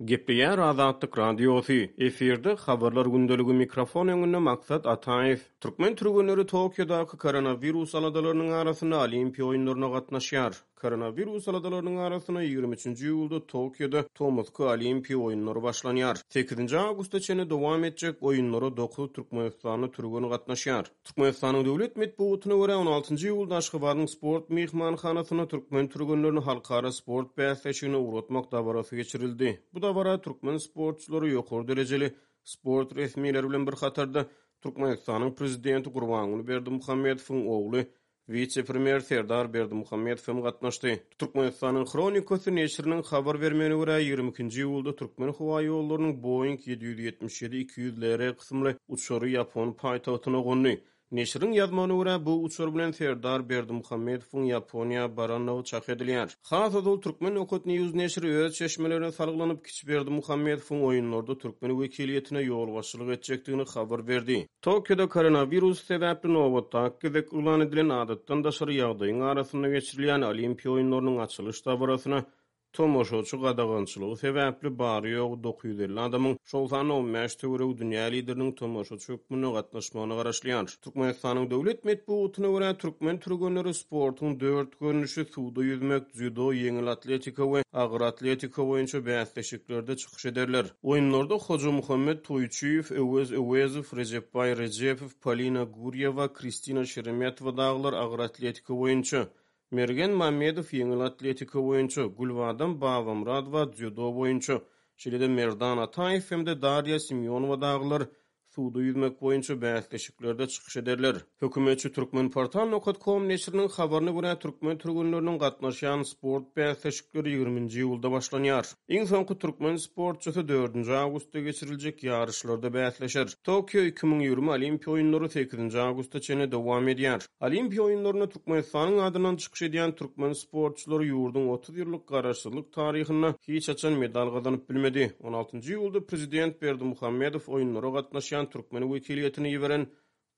Gepleýär Azatlyk Radiosy, efirde Habarlar gündeligi mikrofon öňünde Maksat Ataýew. Türkmen türgenleri Tokiodaky koronawirus aladalarynyň arasynda Olimpiýa oýunlaryna gatnaşýar. Koronawirus aladalarynyň arasynda 23-nji iýulda Tokioda tomusky Olimpiýa oýunlary başlanýar. Sekizinji awgusta çenli dowam etjek oýunlara dokuz türkmenistanly türgen gatnaşýar. Türkmenistanyň döwlet metbugatyna görä, on altynjy iýulda Aşgabadyň Sport myhmanhanasynda türkmen türgenlerini halkara sport bäsleşigine ugratmak dabarasy geçirildi. Bu dabara türkmen sportçylary ýokary derejeli sport resmileri bilen bir hatarda Türkmenistanyň Prezidenti Gurbanguly Berdimuhamedowyň ogly, wise-premýer Serdar Berdimuhamedow hem gatnaşdy. Türkmenistanyň Hronikasy neşiriniň habar bermegine görä, 22-nji iýulda Türkmenhowaýollarynyň Boeing 777-200 LR kysymly uçary ýapon paýtagtyna gondy. Neşiriň ýazmagyna görä, bu uçar bilen Serdar Berdimuhamedowyň Ýaponiýa barandygy çak edilýär. Has ozal Turkmen Nokat News neşiri öz çeşmelerine salgylanyp, kiçi Berdimuhamedowyň oýunlarda türkmen wekiliýetine ýolbaşçylyk etjekdigini habar berdi. Tokioda koronawirus sebäpli nobatdaky gezek yglan edilen adatdan daşary ýagdaýyň arasynda geçirilýän Olimpiýa oýunlarynyň açylyş dabarasyna tomaşaçy gadagançylygy sebäpli bary-ýogy 950 adamyň, şol sanda 15 töweregi dünýä lideriniň tomaşaçy hökmünde gatnaşmagyna garaşylýar. Türkmenistanyň döwlet metbugatyna görä, türkmen türgenleri sportuň dört görnüşi, suwda ýüzmek, dzýudo, ýeňil atletika we agyr atletika boýunça bäsleşiklerde çykyş ederler. Oýunlarda Hojamuhammet Toýçyýew, Öwez Öwezow, Rejepbaý Rejepow, Polina Gurýewa, Kristina Şeremetowa dagylar agyr atletika boýunça, Mergen Mamedow ýeňil atletika boýunça, Gülbadam Babamyradowa dzýudo boýunça, şeýle-de Merdan Ataýew hem-de Darýa Simýonowa dagylar suwda ýüzmek boýunça bäsleşiklerde çykyş ederler. Hökümetçi Turkmenportal nokat kom neşiriniň habaryna görä, türkmen türgenleriniň gatnaşýan sport bäsleşikleri ýigriminji iýulda başlanýar. Iň soňky türkmen sportçysy dördünji awgustda geçiriljek ýaryşlarda bäsleşer. Tokio 2020 Olimpiýa oýunlary sekizinji awgusta çenli dowam edýär. Olimpiýa oýunlarynda Türkmenistanyň adyndan çykyş edýän türkmen sportçylary ýurduň 30 ýyllyk garaşsyzlyk taryhynda hiç haçan medal gazanyp bilmedi. On altynjy iýulda prezident Berdimuhamedow oýunlara gatnaşýan türkmen wekiliýetine iberen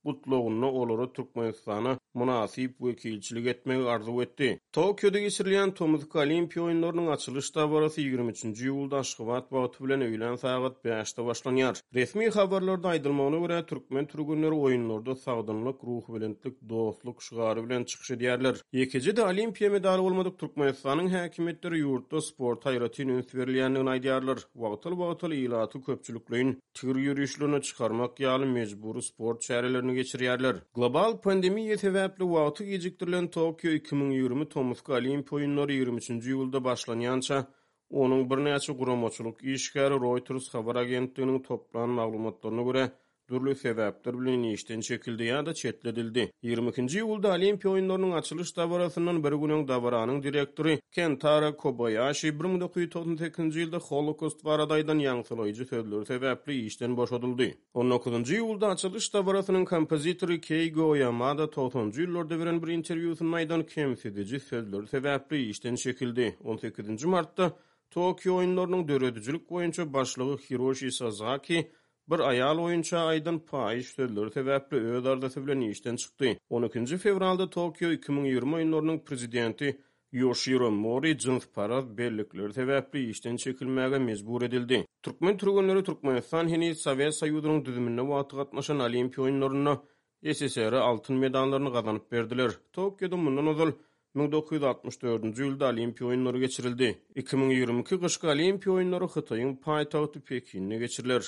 gutlagynda olara Türkmenistana mynasyp wekilçilik etmegi arzuw etdi. Tokioda geçirilýän tomusky Olimpiýa oýunlarynyň açylyş dabarasy ýigrimi üçünji iýulda Aşgabat wagty bilen öýlän sagat bäşde başlanýar. Resmi habarlarda aýdylmagyna görä, türkmen türgenleri oýunlarda sagdynlyk, ruhubelentlik, dostluk şygary bilen çykyş edýärler. Ýekeje-de Olimpiýa medaly bolmadyk Türkmenistanyň häkimiýetleri ýurtda sporta aýratyn üns berilýändigini aýdýarlar. Wagtal-wagtal ilaty köpçülikleýin tigir ýörişlerine çykarmak ýaly mejbury sport çärelerini geçirýärler. Global pandemiýa sebäpli wagty gijikdirilen Tokio 2020 tomusky Olimpiýa oýunlary 23-nji iýulda başlanýança, onuň birnäçe guramaçylyk işgäri Reuters habar agentliginiň toplan maglumatlaryna görä, dürli sebäpler bilen işden çekildi ýa-da çetledildi. Ýigrimi ikinji iýulda Olimpiýa oýunlarynyň açylyş dabarasyndan bir gün öň dabaranyň direktory Kentaro Kobaýaşi 1998-nji ýylda Holokost barada aýdan ýaňsylaýjy sözleri sebäpli işden boşadyldy. On dokuzynjy iýulda açylyş dabarasynyň kompozitory Keýgo Oýamada togsanjy ýyllarda beren bir interwýusynda aýdan kemsidiji sözleri sebäpli işden çekildi. On sekizinji martda Tokio oýunlarynyň döredijilik boýunça başlygy Hiroşi Sazaki Bir aýal oýunça aýdan paýyş sözleri sebäpli öz arzasy bilen işden çykdy. On ikinji fewralda Tokio 2020 oýunlarynyň prezidenti Ýoşiro Mori jynsparaz bellikleri sebäpli işden çekilmäge mejbur edildi. Türkmen türgenleri Türkmenistan heniz Sowet Soýuzynyň düzüminde wagty gatnaşan Olimpiýa oýunlarynda SSR-e altyn medallaryny gazanyp berdiler. Tokioda mundan ozal 1964-nji ýylda Olimpiýa oýunlary geçirildi. 2022 gyşky Olimpiýa oýunlary Hytaýyň paýtagty Pekinde geçiriler.